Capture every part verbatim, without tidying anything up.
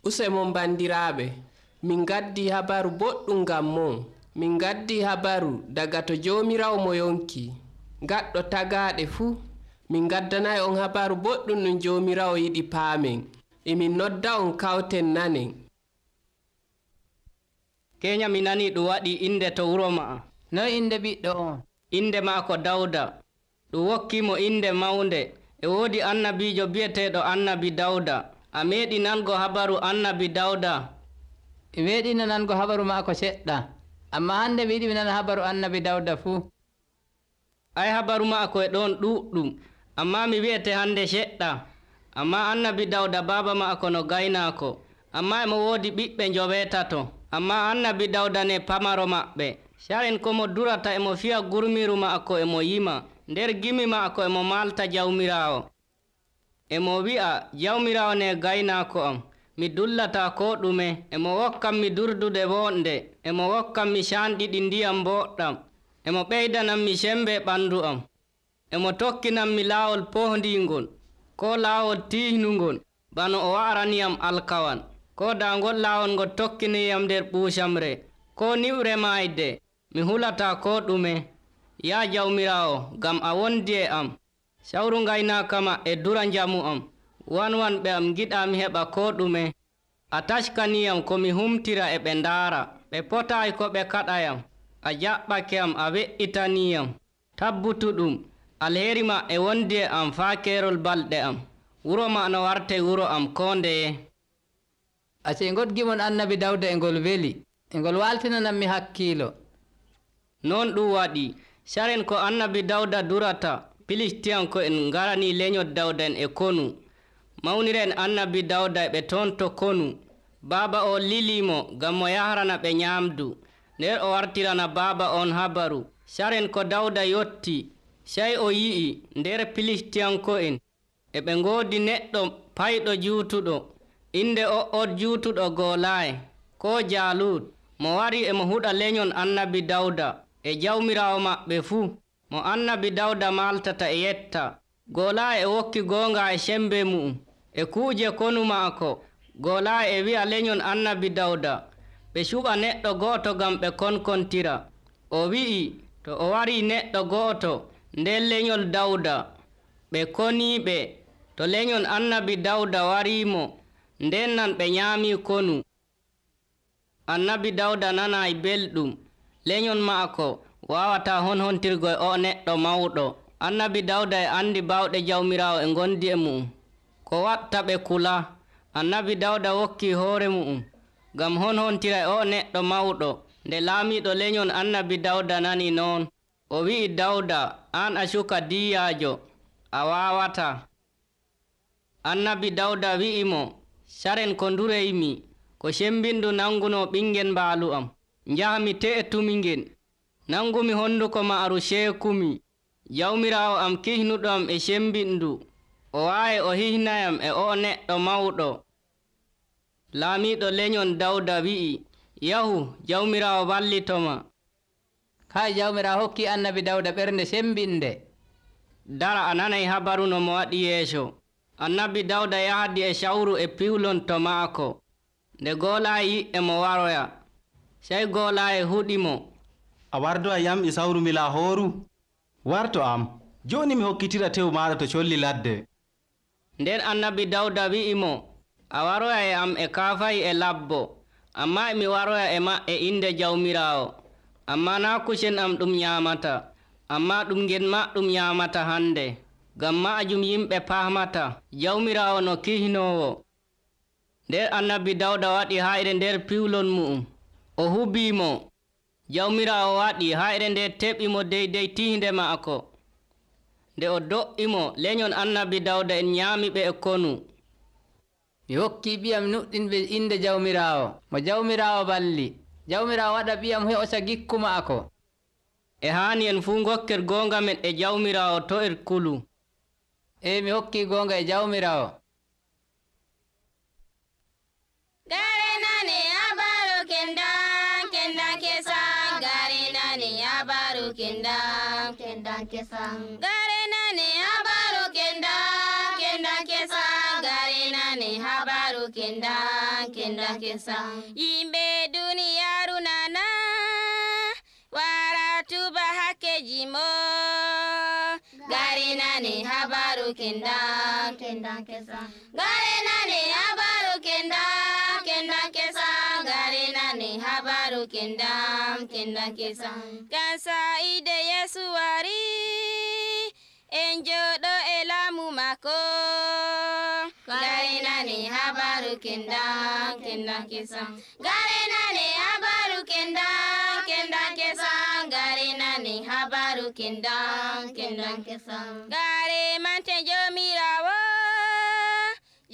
Usemon bandiraaɓe, min gaddi habaru boɗɗum ngam mon. Min gaddi habaru daga to Jawmirawo mo yonki, gaɗɗo tagaaɗe fuu. Min gaddanayi on habaru boɗɗum ɗum Jawmirawo yiɗi paamen. Emin nodda on kawten nanen. Keenya mi nani ɗum waɗi inde to wuro ma'a. Noy inde ɓiɗɗo on? Inde maako Dawda. Ɗum wokkimo inde mawnde. E woodi annabiijo bi'eteeɗo annabi Dawda. A meeɗi nango habaru annabi Dawda? E meeɗi nango habaru maako seɗɗa. Amma hande mi yiɗi mi nana habaru annabi Dawda fuu. Ay habaru maako e ɗon ɗuɗɗum. Amma mi wi'ete hande seɗɗa. Amma annabi Dawda baaba maako no gaynaako. Amma emo woodi ɓiɓɓe njoweetato. Amma annabi Dawda ne pamaro maɓɓe. Saren ko mo durata emo fiya gurmiru maako emo yima. Nder gimi maako emo malta Jawmirawo. Emo wi'a, Jawmirawo ne gaynaako am. Mi dullata ko ɗume. Emo wokkam mi durdude wonde. Emo wokkam mi canɗiɗi ndiyam boɗɗam. Emo ɓeydanam mi sembe ɓandu am. Emo tokkinam mi laawol pohndingol, ko laawol tiihnungol, bano o wa'raniyam alkawan. Ko daangol laawol ngol tokkiniyam nder ɓuusamre, ko niwre maayde. Mi hulata ko ɗume. Ya Jawmirawo, ngam a wondi e am. Sawru ngaynaaka ma e dura njamu am. Wanwanɓe am giɗa mi heɓa ko ɗume. A taskaniyam ko mi humtira e ɓe ndaara. Ɓe potaayi ko ɓe kaɗayam. A jaɓɓake am, a we'itaniiyam. Tabbutu ɗum, alheri ma e wondi e am faa keerol balɗe am. Wuro ma no warte wuro am ko ndeye. Ace ngoɗgimon annabi Dawda e ngol weli. E ngol waltinanam mi hakkiilo. Non ɗum waɗi. Saren ko annabi Dawda durata, Filistiyanko'en ngarani lenyol Dawda en e konu. Mawniren annabi Dawda e ɓe toon to konu. Baaba o lilimo ngam mo yahrana ɓe ñaamdu. Nder o wartirana baaba on habaru. Saren ko Dawda yotti, sey o yi'i nder Filistiyanko'en e ɓe ngoodi neɗɗo payɗo juutuɗo. Inde o on juutuɗo Golaaye, ko Jaalut, mo wari emo huɗa lenyon annabi Dawda e Jawmirawo maɓɓe fuu. Mo annabi Dawda maltata e yetta. Golaaye e wokki goonga e sembe mu'um e kuuje konu maako. Golaaye e wi'a lenyon annabi Dawda ɓe cuɓa neɗɗo go'oto ngam ɓe konkontira. O wi'i to o wari neɗɗo go'oto nder lenyol Dawda ɓe koniiɓe. To lenyon annabi Dawda wariimo, nden nan ɓe ñaami konu. Annabi Dawda nanayi belɗum. Lenyon maako wawata honhontirgo e o neɗɗo mawɗo. Annabi Dawda e andi bawɗe Jawmirawo e ngondi e mu'um. Ko watta ɓe kula. Annabi Dawda wokki hoore mu'um ngam honhontira e o neɗɗo mawɗo. Nde laamiɗo lenyon annabi Dawda nani noon, o wi'i Dawda, an a suka diyyaajo, a wawata. Annabi Dawda wi'imo, saren ko ndureymi, ko sembindu nanguno ɓingel mbaalu am. Njahami te'etumi ngel, nangumi honduko maaru seekumi. Jawmirawo am kihnuɗo am e sembindu, o waawi o hihnayam e o neɗɗo mawɗo. Laamiɗo lenyon Dawda wi'i, yahu, Jawmirawo wallitoma. Kay Jawmirawo hokki annabi Dawda ɓernde sembinde. Dara a nanay habaru no mo waɗi yeeso. Annabi Dawda yahdi e sawru e piwlon to maako. Nde Golaaye yi'e mo waroya, sey Golaaye huɗimo. A wardoya yam e sawru mi Lahooru? Warto am, joni mi hokkitira tew maɗa to colli ladde. Nden annabi Dawda wi'imo, a waroya e am e kaafayi e labbo, amma emi waroya e ma e inde Jawmirawo. Amma naa kusen am ɗum ñaamata, amma ɗum ngel ma ɗum ñaamata hande. Ngam maajum yimɓe paamata Jawmirawo no kihnowo. Nder annabi Dawda waɗi hayre nder piwlon mu'um. O hubiimo. Jawmirawo waɗi hayre nde teɓimo deydey tihnde maako. Nde o do'imo, lenyon annabi Dawda en ñaamiɓe e konu. Mi hokki ɓiyam nuɗɗinɓe inde Jawmirawo, mo Jawmirawo balli. Jawmirawo waɗa ɓiyam heɓosa gikku maako. E haani en fuu gokker goonga men e Jawmirawo to er kulu. E mi hokki goonga e Jawmirawo. Gare nane habaru kendan kendan kesan. Gare nane habaru kendan kendan kesan. Gare nane habaru kendan kendan kesan. Gare nane nane habaru kendan kendan kesan. Yimɓe duniyaaru nana wara tuba hakkeji mo. Gare nane habaru kendan kendan kesan. Gare nane habaru kendan kendan kesan. Gare nane habaru kendan kendan kesan. Gansa ide Yesu wari en joɗo e laamu mako. Gare nane habaru kendan kendan kesan. Gare nane habaru kendan kendan kesan. Gare nane habaru kendan kendan kesan. Gare mante jomirawo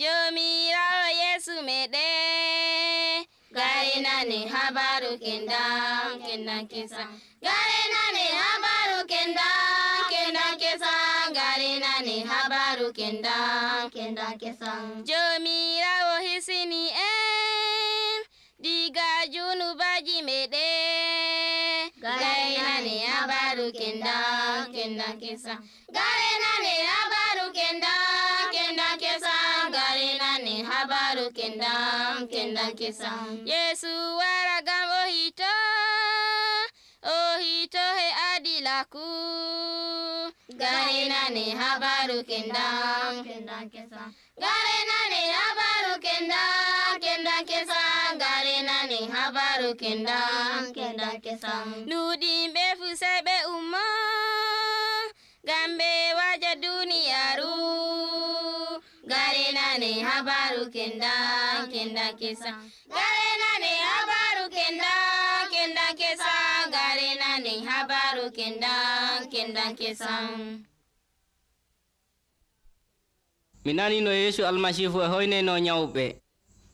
jomirawo Yesu meɗen. Gare nane habaru kendan kendan kesan. Gare nane habaru kendan kendan kesan. Gare nane habaru kendan kendan kesan. Jomirawo hisini en diga junubaji meɗen. Gare nane habaru kendan kendan kesan. Gare nane habaru kendan kendan kesan. Gare nane habaru kendan kendan kesan. Yesu wara gam o hito o hito he adilaku. Gare nane habaru kendan kendan kesan. Gare nane habaru kendan kendan kesan. Gare nane habaru kendan kendan kesan. Nuɗimɓe fu sai ɓe ummo ngam ɓe waja duniyaaru. Gare nane habaru kendan kendan kesan. Gare nane habaru kendan kendan kesan. Gare nane habaru kendan kendan kesan. mi nani no Yeesu almasihu e hoyneno nyawɓe.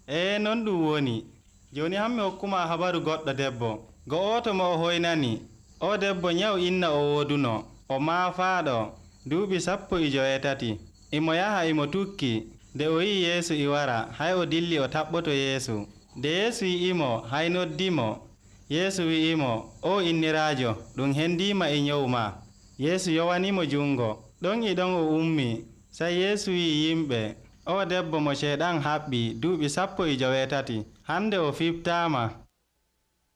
e non ɗum woni. joni hammi hokkuma habaru goɗɗo debbo. go'oto mo o hoynani. o debbo nyaw inna o woduno. o maafaɗo duuɓi sappo e joweetati. imo yaha imo tukki. nde o yi Yeesu i wara hay o dilli o taɓɓoto Yeesu. nde Yeesu yi'imo hay noddimo. Yeesu wi'imo o inniraajo ɗum hendima e nyawu ma. Yeesu yowanimo jungo. ɗon e ɗon o ummi. sai Yeesu wi yimɓe o debbo mo ceeɗan haɓɓi duuɓi sappo e joweetati hande o fiftama.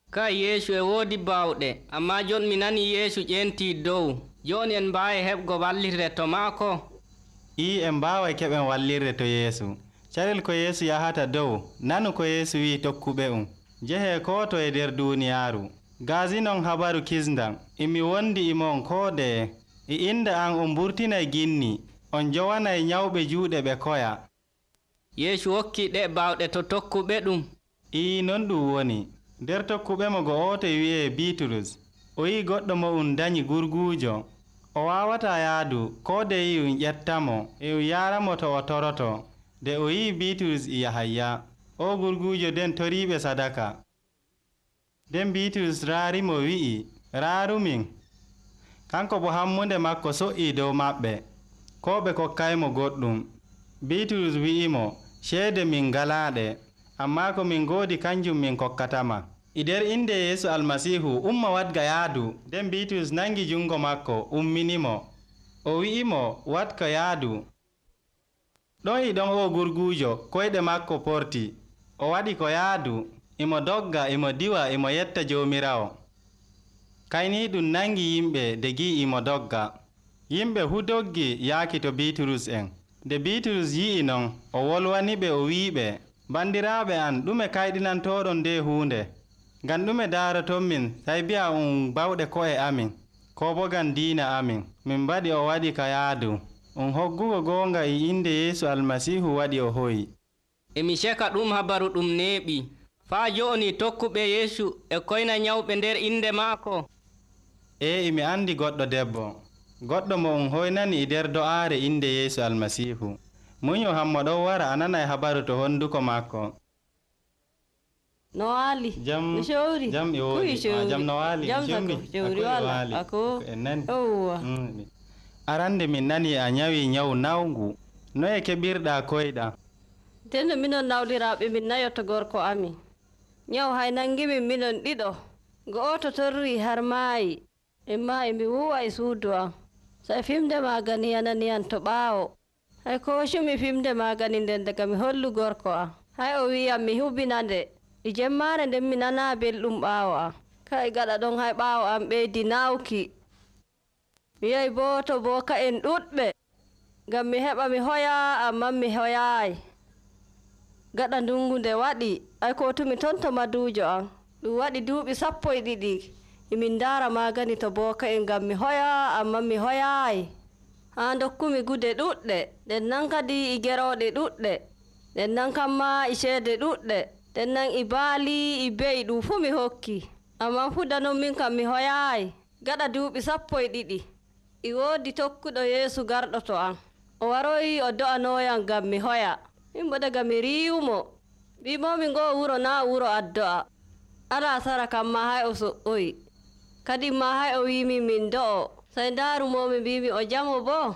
ka Yeesu e woodi bawɗe amma jon mi nani Yeesu ƴenti dow joni en mbawi heɓgo wallirde to maako. i en mbaway keɓen wallirde to Yeesu. carel ko Yeesu yahata dow nanu ko Yeesu wi tokkuɓe um jehe ko to e nder duniyaaru. gaasinon habaru kisndan imi wondi imon koodeye e inde an on mburtinay ginni on jowanay nyawɓe juuɗe ɓe koya. Yeesu hokki ɗe bawɗe to tokkuɓe ɗum. ii non ɗum woni. nder tokkuɓe mo go'oto wi'e Bitrus o yi goɗɗo mo um dañi gurguujo. o wawata yaadu ko de yi um ƴettamo e um yaramo to o toroto. nde o yi Bitrus e Yahaya o gurguujo den toriɓe sadaka. nden Bitrus raarimo wi'i raarumin. kanko bo hammunde makko so'i dow maɓɓe ko ɓe kokkaymo goɗɗum. Bitrus wi'imo ceede min ngalaaɗe amma ko min ngoodi kanjum min kokkatama. e nder inde Yeesu almasihu umma wadga yaadu. nden Bitrus nangi jungo makko umminimo. o wi'imo watka yaadu. ɗon e ɗon o gurguujo koyɗe makko porti. o waɗi ko yaadu imo dogga imo diwa imo yetta jomirawo. kayni ɗum nangi yimɓe de gi imo dogga. yimɓe hu doggi yaaki to Bitrus en. nde Bitrus yi'i non o wolwaniɓe o wi'iɓe bandiraaɓe an ɗume kayɗinantoɗon nde huunde. ngam ɗume daaraton min sai bi'a um bawɗe ko'e amin ko bo ngam diina amin min mbaɗi o waɗi ka yaadu. um hoggugo goonga e inde Yeesu almasihu waɗi o hoyi. emi ceka ɗum habaru ɗum neeɓi faa joni tokkuɓe Yeesu e koyna nyawɓe nder inde maako. e imi andi goɗɗo debbo goɗɗo mo um hoynani e nder do'aare inde Yeesu almasihu. muño hammo ɗon wara a nanay habaru to honduko makko. no waali jam showri jam e wodi jam no waali jam sako showri wala ako en nani owa mm. arande min nani a nyawi nyawu nawgu no e keɓirɗa koyɗa. teno minon nawliraɓe min nayoto gorko amin nyaw hay nangimin minon ɗiɗo go'oto torri har maayi en maayi mi wuwa e suudu am sai fimde magani yananiyan to ɓaawo hay ko hoccumi fimde magani nden daga mi hollu gorko am. Hay o wiyam mi hubinande e jemmaare nden mi nana belɗum ɓaawo am. Kay gaɗa ɗon hay ɓaawo am ɓeydi nawki. Mi yahi boo to booka en ɗuɗɓe ngam mi heɓa mi hoya amman mi hoyaayi. Gaɗa ndungu nde waɗi ay kotumi ton to maduujo am. Ɗum waɗi duuɓi sappo e ɗiɗi emin ndaara magani to booka en ngam mi hoya amman mi hoyaayi. Haa dokkumi gude ɗuɗɗe nden nan kadi e gerooɗe ɗuɗɗe nden nan kamma e ceede ɗuɗɗe nden nan e baali e beyi ɗum fuu mi hokki. Amman fudanon min kam mi hoyaayi. Gaɗa duuɓi sappo e ɗiɗi e woodi tokkuɗo Yeesu garɗo to am. O waroyi o do'anooyam ngam mi hoya. Min bo daga mi riiwumo mbimomi ngoo wuro naa wuro addo'a. Alaa sara kamma hay o so'oyi. Kadi ma hay o wiimi min do'o. Sey ndaarumomi mbimi o jamo boo.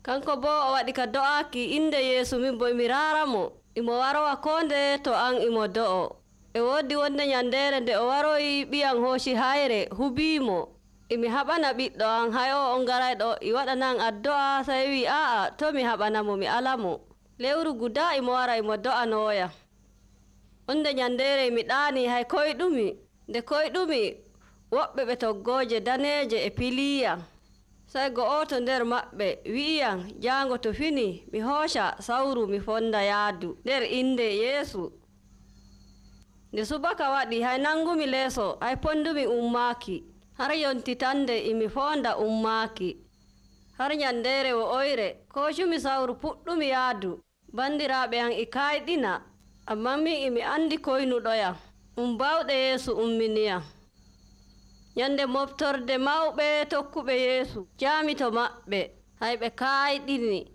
Kanko boo o waɗi ka do'aaki inde Yeesu min bo emi raaramo. Imo warowa koo nde to an imo do'o. E woodi wonde ñandeere nde o waroyi ɓiyam hooci hayre hubiimo. Emi haɓana ɓiɗɗo am hay o on garayɗo e waɗanan addo'a sey wi aa'a to mi haɓanamo mi alamo. Lewru guda imo wara imo do'anooyam. Wonde ñandeere mi ɗaani hay koyɗumi. Nde koyɗumi woɓɓe ɓe toggooje daneeje e piliyam. Sey go'oto nder maɓɓe wi'iyam jaango to fini mi hooca sawru mi fonda yaadu nder inde Yeesu. Nde subaka waɗi hay nangumi leeso hay pondumi ummaaki. Har yontitande emi fonda ummaaki. Har ñandeere wo'oyre koocumi sawru puɗɗumi yaadu. Bandiraaɓe am e kayɗina amman min emi andi koynuɗoyam. Um bawɗe Yeesu umminiyam. Ñande moftorde mawɓe tokkuɓe Yeesu jaami to maɓɓe hay ɓe kayɗini.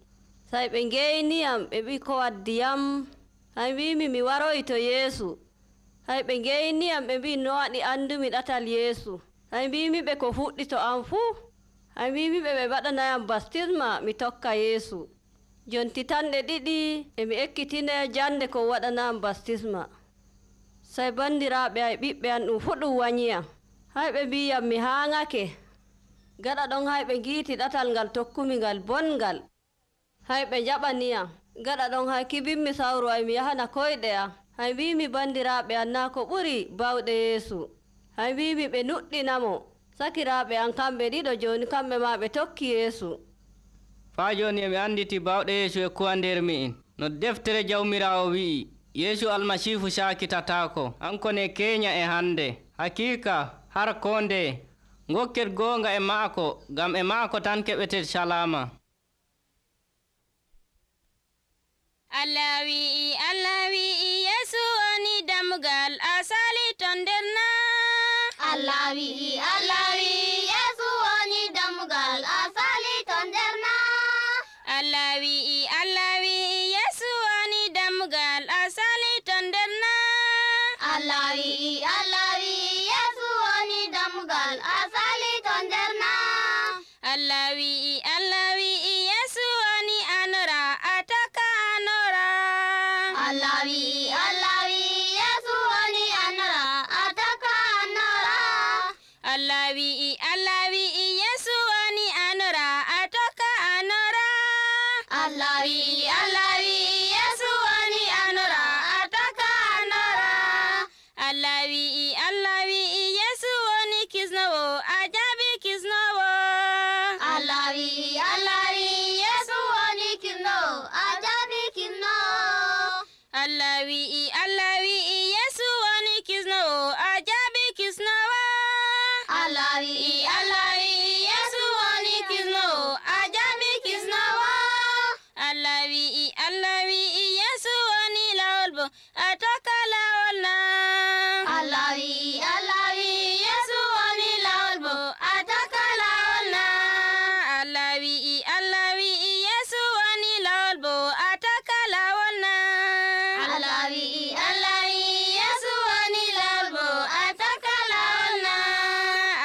Say ɓe ngeyniyam ɓe ɓi ko waddiyam. Hay mbimi mi waroyi to Yeesu. Hay ɓe ngeyniyam ɓe mbi no waɗi andumi ɗatal Yeesu. Hay mbimi ɓe ko fuɗɗi to am fuu. Hay mbimi ɓe ɓe waɗanayam baptisma mi tokka Yeesu. Jonti tanɗe ɗiɗi emi ekkitine jande ko waɗanayam baptisma. Say bandiraaɓe ay ɓiɓɓe am ɗum fuu ɗum wanyiyam. Hay ɓe mbiyam mi haaŋake. Gaɗa ɗon hay ɓe ngiiti ɗatal ngal tokkumi ngal bongal. Hay ɓe jaɓaniyam. Gaɗa ɗon hay kibinmi sawru ay mi yahana koyɗe am. Hay mbimi bandiraaɓe am naa ko ɓuri bawɗe Yeesu. Hay mbimi ɓe nuɗɗinamo. Sakiraaɓe am kamɓe ɗiɗo jooni kamɓe maa ɓe tokki Yeesu. Faa jooni emi anditi bawɗe Yeesu e kuwa nder mi'in. No deftere Jawmiraawo wi'i, Yeesu Almasiihu saakitataako, hanko ne keenya e hande. Hakiika har koo nde ngokket goonga e maako, ngam e maako tan keɓeten salama. Allah wi'i Allah wi'i Yeesu woni dammugal asali ton nder na. Allah wi'i Allah wi'i Yeesu woni dammugal asali ton nder na. Allah wi'i Allah wi'i Yeesu woni dammugal asali ton nder na. Allah wi'i Allah wi'i Yeesu woni dammugal asali ton nder na. Allah wi'i Allah wi'i Yeesu woni anora ataka anora. Allah wi'i Allah wi'i Yeesu woni anora ataka anora. Allah wi'i Allah wi'i Yeesu woni anora ataka anora. Allah wi'i Allah wi'i Yeesu woni anora ataka anora. Allah wi'i Allah wi'i Yeesu woni kisnowo ajabi kisnowo. Allah wi'i Allah wi'i Yeesu woni kisnowo ajabi kisnowo. Allah wi'i Allah wi'i Yeesu woni kisnowo ajabi kisnowo. Allah wi'i Allah wi'i Yeesu woni kisnowo ajabi kisnowo. Allah wi'i Allah wi'i Yeesu woni lawol bo ataka lawol na. Allah wi'i Allah wi'i Yeesu woni lawol bo ataka lawol na. Allah wi'i Allah wi'i Yeesu woni lawol bo ataka lawol na. Allah wi'i Allah wi'i Yeesu woni lawol bo ataka lawol na.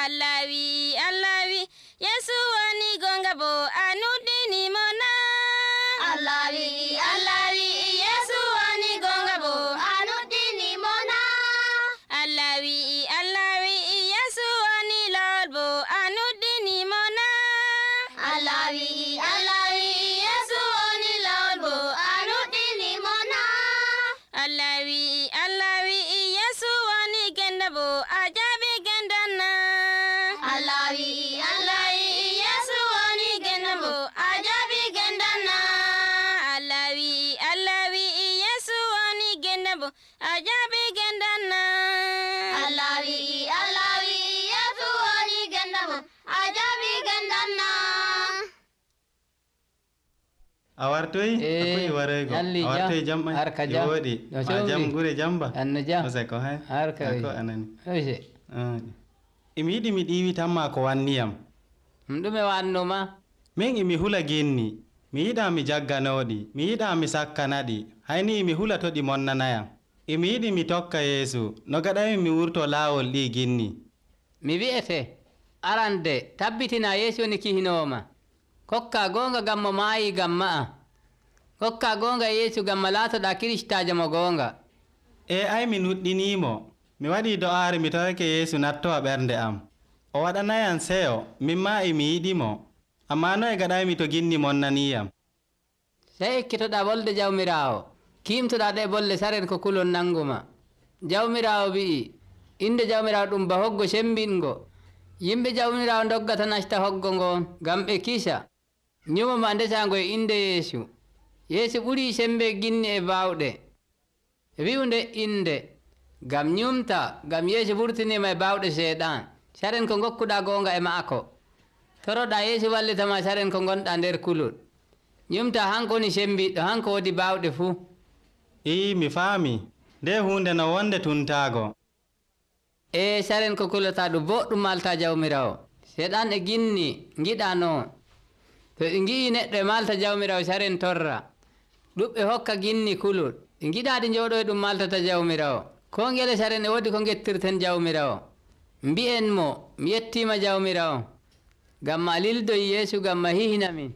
Allah wi'i Allah wi'i Yeesu woni gonga bo anudini mo na. Allah wi'i Allah wi'i Yeesu woni gonga bo anudini mo na. Allah wi'i Allah wi'i Yeesu woni lawol bo anudini mo na. Allah wi'i Allah wi'i Yeesu woni bo a jaabi gendal na. Allah wi'i Allah wi'i Yesu woni gendal bo a jaabi gendal na. a wartoyi akoye waraygo a wartoyi jam ɓay e woɗi ma jam gure jamba anno jam oseko hay harka ko anani oje imi yiɗi mi ɗiwi tan ma ko wanniyam ɗum ɗume wannuma min imi hula ginni mi yiɗa mi jagganoɗi mi yiɗa mi sakkanaɗi hayni imi hula to ɗi monnanayam imi yiɗi mi tokka Yeesu no gaɗami mi wurto laawol ɗi ginni. mi wi'ete arande tabbitina Yeesu woni kihinoma kokka gonga gamma maayi gamma a kokka gonga Yeesu gamma laatoɗa kiristajo mo gonga. e ay mi nuɗɗinimo mi waɗi do'aare mi tawake Yeesu nattowa ɓernde am o waɗanayam seyo min ma emi yiɗimo amma no e gaɗaymi to ginni monnaniyam. sey ekkitoɗa bolde jawmirawo kimtoɗa ɗe bolle saren ko kulon nanguma. jawmirawo wi'i inde jawmirawo ɗum ba hoggo sembingo yimɓe jawmirawo doggata nasta hoggo ngon ngam ɓe kisa ñumoma ndesango e inde Yeesu. Yeesu ɓuri sembe ginni e bawɗe wi'unde inde ngam ñumta ngam Yeesu wurtinima e bawɗe seeɗan saren ko gokkuɗa gonga e maako toroɗa Yeesu wallitama saren ko gonɗa nder kulol ñumta hanko woni sembiɗɗo hanko wodi bawɗe fuu. ii mi faami nde hunde no wonde tuntago e saren ko kulata ɗum boɗɗum malta jawmirawo seeɗan e ginni giɗa noon to ɗi gi'i neɗɗo e malta jawmirawo saren torra ɗuɓɓe hokka ginni kulol ɗi giɗa ɗi jooɗo e ɗum maltata jawmirawo ko ngele saren e wodi ko gettirten jawmirawo mbi'en mo mi yettima jawmirawo ngam ma lildoyi Yeesu ngam ma hihina min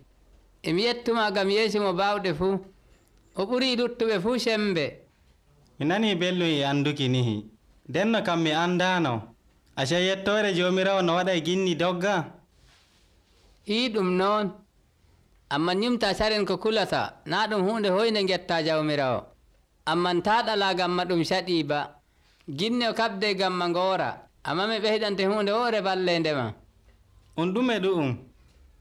emi yettuma ngam Yeesu mo bawɗe fuu o ɓuri luttuɓe fuu sembe. mi nani belɗum e anduki nihi denno kam mi andano aca yettore jomirawo no waɗa e ginni dogga. ii ɗum noon amma ñumta saren ko kulata na ɗum hunde hoyde getta jawmirawo amman ta ɗala gamma ɗum saɗi ba ginne o kabde gamma ngora amma mi ɓeydante hunde woore ballendema. on ɗume ɗu'um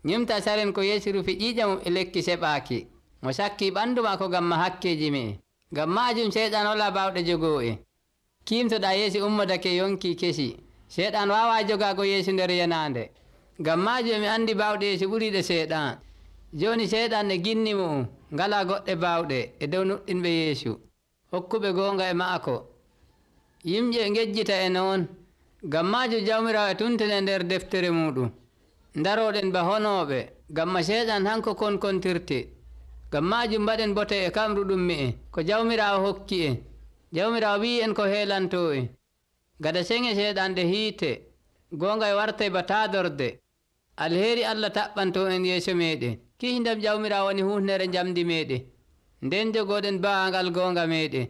ñumta saren ko Yeesu rufi ƴiƴamum e lekki seɓaki mo sakki ɓandu ma ko gamma hakkeji me ngam majum seyɗan wala bawɗe jogo e kimtoɗa Yeesu ummodake yonki kesi seyɗan wawa jogago Yeesu nder yanande ngam majum emi andi bawɗe Yeesu ɓuriɗe seyɗan joni seyɗan e ginni mum ngala goɗɗe bawɗe e dow nuɗɗinɓe Yeesu hokkuɓe gonga e maako yimɓe ngejjita e noon ngam majum jawmirawo e tuntene nder deftere muɗum daroɗen ba honoɓe gamma seyɗan hanko konkontirte ngam majum mbaɗen bote e kamru ɗum mi en ko jawmirawo hokki en jawmirawo wi en ko heelanto en gada senge seyɗan ɗe hiite gonga e warte ba taadorde alheri Allah taɓɓanto en yeeso meɗen kihdam jawmirawo woni hufnere jamdi meɗen nden jogoɗen bawangal gonga meɗen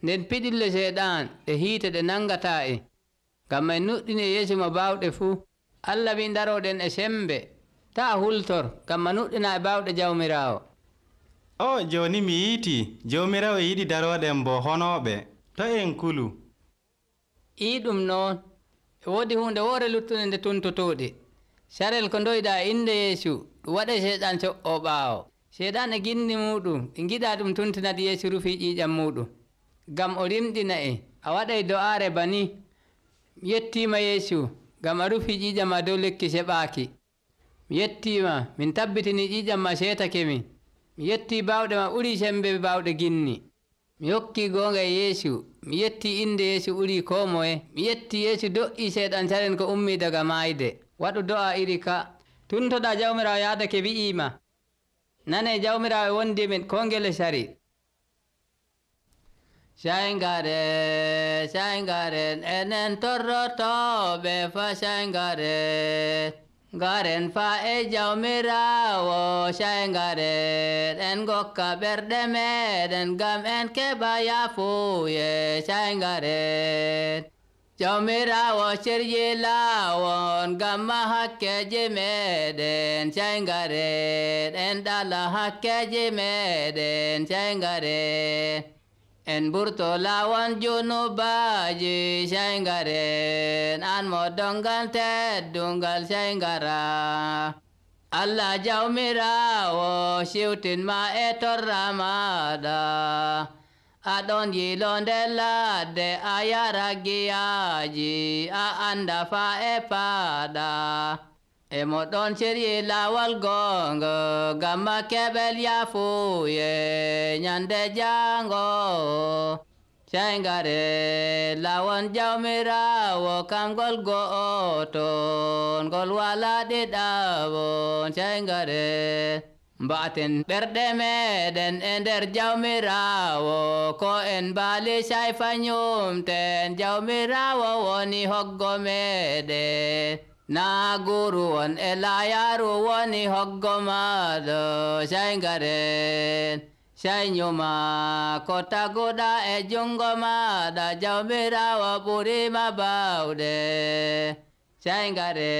nden piɗille seyɗan ɗe hiite ɗe nangata en ngam en nuɗɗini e Yeesu mo bawɗe fuu Allah wi daroɗen e sembe ta hultor ngam ma nuɗɗina e bawɗe jawmirawo. o joni mi yiiti jawmirawo yiɗi daroɗen bo honoɓe to en kulu. ii ɗum noon e wodi hunde woore luttude nde tuntotoɗe sarel ko doyɗa e inde Yeesu ɗum waɗe seyɗan co'o ɓaawo seyɗan e ginni muɗum ɗi giɗa ɗum tuntinade Yeesu rufi ƴiƴam muɗum ngam o rimɗina en a waɗay do'aare bani mi yettima Yeesu ngam a rufi ƴiƴam ma dow lekki seɓaki mi yettima min tabbitini ƴiƴam ma seetake min mi yetti bawɗe ma ɓuri sembe bawɗe ginni mi hokki gonga e Yeesu mi yetti inde Yeesu ɓuri ko moye mi yetti Yeesu do'i seyɗan saren ko ummi daga mayde waɗu do'a iri ka tuntoɗa jawmirawo yaadake wi'ima nane jawmirawo e wondi men ko ngele sari. Saingare saingaren enen torrotoɓe fa saingaren garen fa e jawmirawo saingaren en gokka ɓerɗe meɗen gam en keɓa yafuye saingaren jawmirawo serji lawon gamma hakkeji meɗen saingaren en ɗala hakkeji meɗen saingaren en ɓurto lawon junubaji saingaren an mo dongal teddungal saingara Allah jawmirawo siwtinma e torra maɗa aɗon yilo nder ladde a yara giyaji a anda fa e paɗa e moɗon ciryi lawol gongo gamma keɓel yafuye nyande jango Shaingare lawon jawmirawo kamgol go'oton gol wala ɗiɗaɓon Shaingare mbaten ɓerɗe meɗen e nder jawmirawo ko en baali shayfa nyumten jawmirawo woni hoggo meɗen na guru won e layaru woni hoggo maɗo Shaingare Shainyuma ko taguɗa e jungo maɗa jawmirawo ɓurima bawɗe Shaingare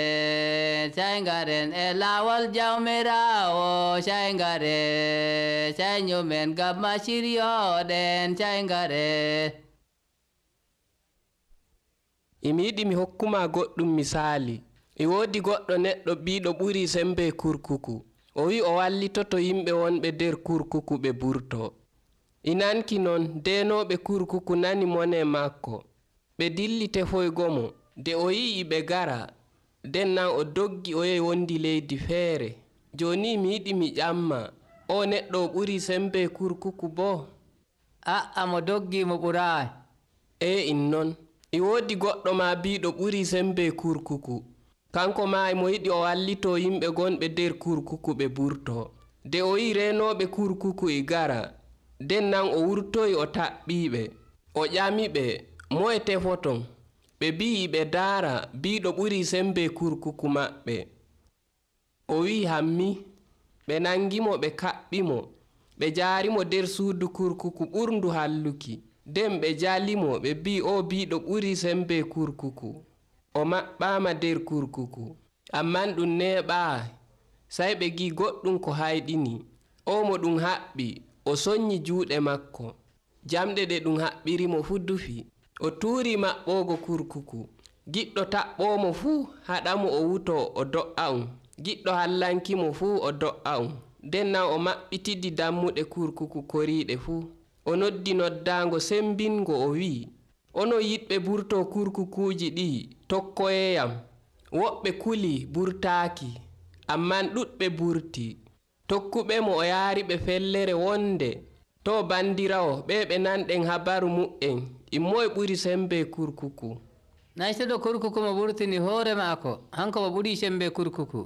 Shaingaren e lawol jawmirawo Shaingare Shainyumen gamma shiryoɗen Shaingare imi yiɗi mi hokkuma goɗɗum misali e woodi goɗɗo neɗɗo biiɗo ɓuri sembe kurkuku o wi o wallitoto yimɓe wonɓe nder kurkuku ɓe burto inanki non denoɓe kurkuku nani mone makko ɓe dilli tefoygo mo nde o yi'i ɓe gara nden nan o doggi o yehi wondi leydi feere joni mi yiɗi mi ƴamma o neɗɗo o ɓuri sembe kurkuku bo a'a mo doggi mo ɓurayi e in non e woodi goɗɗo ma biiɗo ɓuri sembe kurkuku kanko ma mo yiɗi o wallito yimɓe gonɓe nder kurkuku ɓe burto nde o yi renoɓe kurkuku e gara nden nan o wurtoyi o taɓɓiɓe o ƴamiɓe moye tefoton ɓe bi'i ɓe daara biiɗo ɓuri sembe kurkuku maɓɓe o wi hammi ɓe nangimo ɓe kaɓɓimo ɓe jaarimo nder suudu kurkuku ɓurndu halluki nden ɓe jalimo ɓe bi'i o biiɗo ɓuri sembe kurkuku o maɓɓama nder kurkuku amman ɗum neɓaa sai ɓe gi goɗɗum ko hayɗini o mo ɗum haɓɓi o sonni juuɗe makko jamɗe ɗe ɗum haɓɓirimo fu dufi o tuuri maɓɓogo kurkuku giɗɗo taɓɓomo fuu haɗamo o wuto o do'a um giɗɗo hallankimo fuu o do'a um nden nan o maɓɓitidi dammuɗe kurkuku koriɗe fuu o noddi noddago sembingo o wi ono yiɗɓe burto kurkukuji ɗi tokkoyeyam woɓɓe kuli burtaaki amman ɗuɗɓe burti tokkuɓe mo o yaari ɓe fellere wonde to bandirawo ɓe ɓe nanɗen habaru mu'en immoye ɓuri sembe kurkuku naytuɗo kurkuku mo ɓurtini hoore maako hanko mo ɓuri sembe kurkuku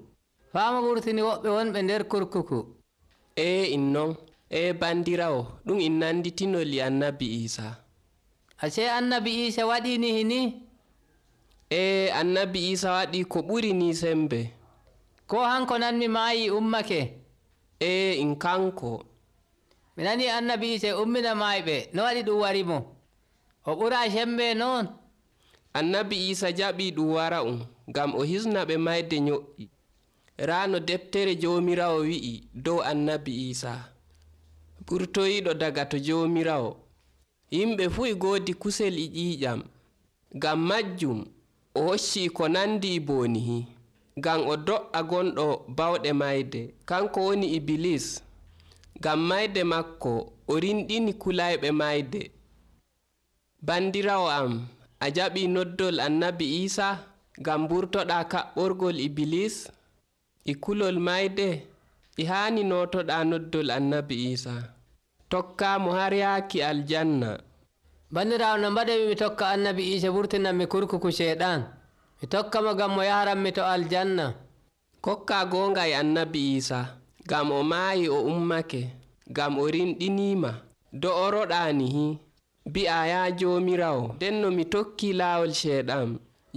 faa mo ɓurtini woɓɓe wonɓe nder kurkuku e in non e bandirawo ɗum in nanditinoli annabi isa ase annabi isa waɗini hini e annabi isa waɗi ko ɓuri ni sembe ko hanko nanmi maayi ummake e in kanko mi nani annabi isa ummina maayɓe no waɗi ɗum warimo o ɓura sembe noon annabi isa jaɓi ɗum wara um ngam o hisna ɓe mayde nyo'i raano deftere jomirawo wi'i dow annabi isa ɓurtoyiɗo daga to jomirawo yimɓe fuu e goodi kusel e ƴiiƴam ngam majjum o hocci ko nandi e boonihi ngam o do'a gonɗo bawɗe mayde kanko woni ibilis ngam mayde makko o rinɗini kulayɓe mayde bandirawo am a jaɓi noddol annabi isa ngam burtoɗa kaɓɓorgol ibilis e kulol mayde e haani notoɗa noddol annabi isa tokkamo har yaaki aljanna bandirawo no mbaɗemi mi tokka annabi isa burtinanmi kurkuku sheɗan mi tokka mo gam mo yaranmi to aljanna kokka gonga e annabi isa gam o maayi o ummake gam o rinɗinima do'oroɗanihi bi'a ya jomirawo nden no mi tokki laawol sheɗan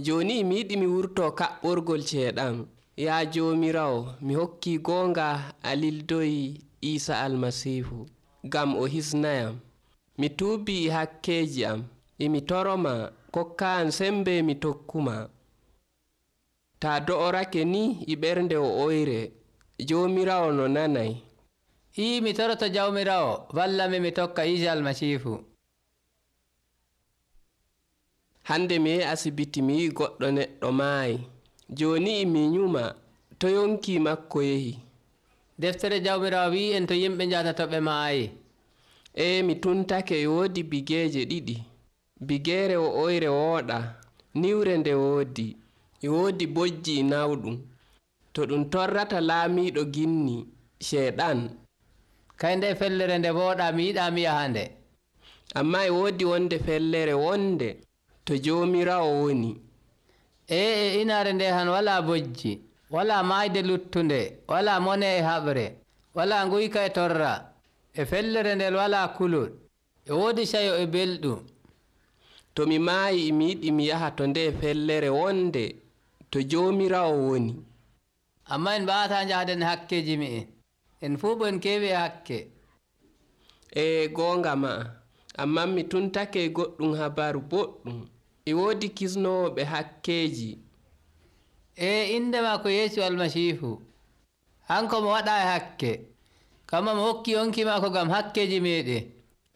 joni mi yiɗi mi wurto kaɓɓorgol sheɗan ya jomirawo mi hokki gonga a lildoyi isa almasihu gam o hisnayam mi tuubi e hakkeji am emi toroma kokka an sembe mi tokkuma ta do'orake ni e ɓernde o oyre jomirawo no nanay ii mi toroto jawmirawo wallami mi tokka isa almasihu hande mi yehi asibiti mi yi goɗɗo neɗɗo maayi joni emi nyuma to yonki makko yehi deftere jawmirawo wi en to yimɓe jata to ɓe maayi e mi tuntake e woodi bigeeje ɗiɗi. Bigeere wo'oyre wooɗa, niwre nde woodi, e woodi bojji nawɗum. To ɗum torrata laamiiɗo ginni Ceeɗan. Kay nde fellere nde wooɗa mi yiɗaa mi yaha nde. Ammaa e woodi wonde fellere wonde to Joomiraawo woni. Ee e inaare nde han walaa bojji, walaa maayde luttunde, walaa mone e haɓre, walaa nguyka e torra, e fellere nden walaa kulol, e woodi cayo e belɗum. To mi maayi mi yiɗi mi yaha to nde fellere wonde to Joomiraawo woni. Ammaa en mbaawataa njahden hakkeeji me'en, en fuu bon keewi e hakke. E goonga maa, ammaa mi tuntake e goɗɗum habaru boɗɗum. E woodi kisnooɓe hakkeeji. E inde maako Yeesu Almasiihu, hanko mo waɗaa e hakke, kamma mo hokki yonki maako ngam hakkeeji meeɗen.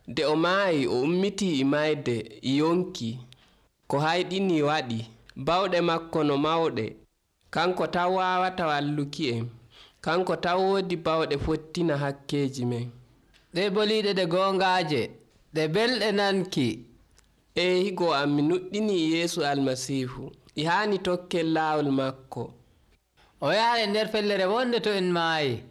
Nde o maayi o ummitii e mayde e yonki, ko hayɗini waɗi, bawɗe makko no mawɗe, kanko taw waawata walluki en, kanko taw woodi bawɗe fottina hakkeeji men. Ɗe boliiɗe ɗe goongaaje, ɗe belɗe nanki. E higo am mi nuɗɗini Yeesu Almasiihu, e haani tokkel laawol makko. O yaha nder fellere wonde to en maayi.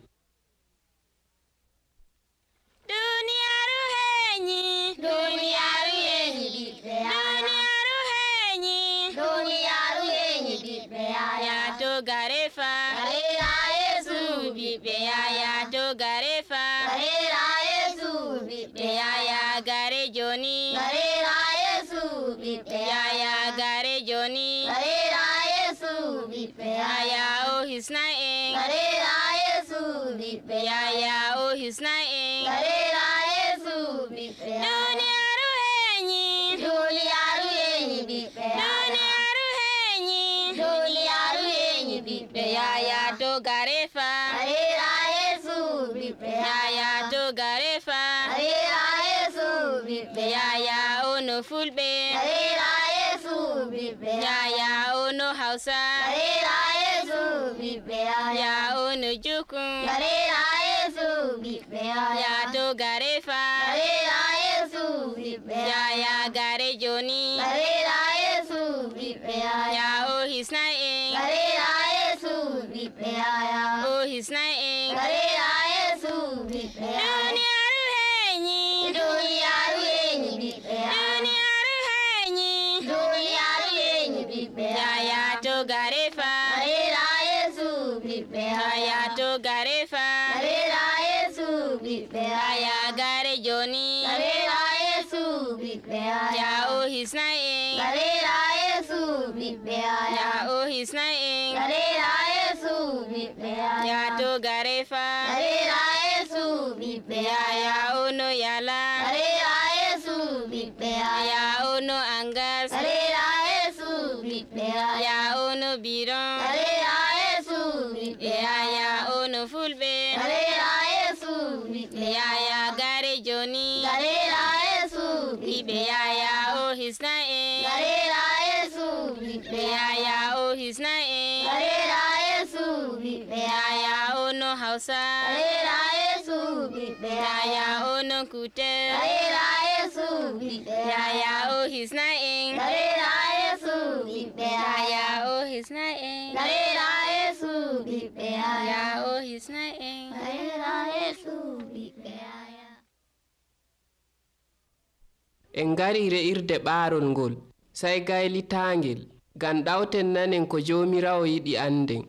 Duniyaaru heeñi, duniyaaru heeñi ɓiɓɓe duniyaaru heeñi, duniyaaru heeñi ɓiɓɓe yaya to garefa, garera Yeesu ɓiɓɓe yaya to garefa, garera Yeesu ɓiɓɓe yaya gare joni, garera Yeesu ɓiɓɓe yaya gare joni, garera Yeesu ɓiɓɓe yaya o hisna en, garera Yeesu ɓiɓɓe yaya o hisna en, garera Yeesu ɓiɓɓe duniyaaru heeñi, duniyaaru heeñi ɓiɓɓe duniyaaru heeñi, duniyaaru heeñi ɓiɓɓe yaya to garefa, garera Yeesu ɓiɓɓe yaya to garefa, garera Yeesu ɓiɓɓe yaya ono fulɓe, garera Yeesu ɓiɓɓe yaya ono Hausa, garera Yeesu ɓiɓɓe yaya ono Jukun, garera Yeesu ɓiɓɓe yaya to garefa, garera Yeesu ɓiɓɓe yaya gare joni, garera Yeesu ɓiɓɓe yaya o hisna en, garera Yeesu ɓiɓɓe yaya o hisna en, garera Yeesu ɓiɓɓe duniyaaru heeñi, duniyaaru heeñi ɓiɓɓe duniyaaru heeñi, duniyaaru heeñi ɓiɓɓe yaya to garefa, garera Yeesu ɓiɓɓe yaya to garefa, garera Yeesu ɓiɓɓe yaya gare joni, garera Yeesu ɓiɓɓe yaya o hisna en, garera Yeesu ɓiɓɓe yaya o hisna en, garera Yeesu ɓiɓɓe yaya to garefa, garera Yeesu ɓiɓɓe yaya ono yala, garera Yeesu ɓiɓɓe yaya ono angas, garera Yeesu ɓiɓɓe yaya ono biron, garera Yeesu ɓiɓɓe yaya ono fulɓe, garera Yeesu ɓiɓɓe yaya gare joni, garera Yeesu ɓiɓɓe yaya o hisna en, garera Yeesu ɓiɓɓe yaya o hisna en, garera Yeesu ɓiɓɓe yaya ono Hausa, garera Yeesu ɓiɓɓe yaya ono Kutel, garera Yeesu ɓiɓɓe yaya o hisna en, garera Yeesu ɓiɓɓe yaya o hisna en, garera Yeesu ɓiɓɓe yaya o hisna en, garera Yeesu ɓiɓɓe yaya. En ngari re'irde ɓaarol ngol, sey gaylitaangel, ngam ɗawten nanen ko Joomiraawo yiɗi anden.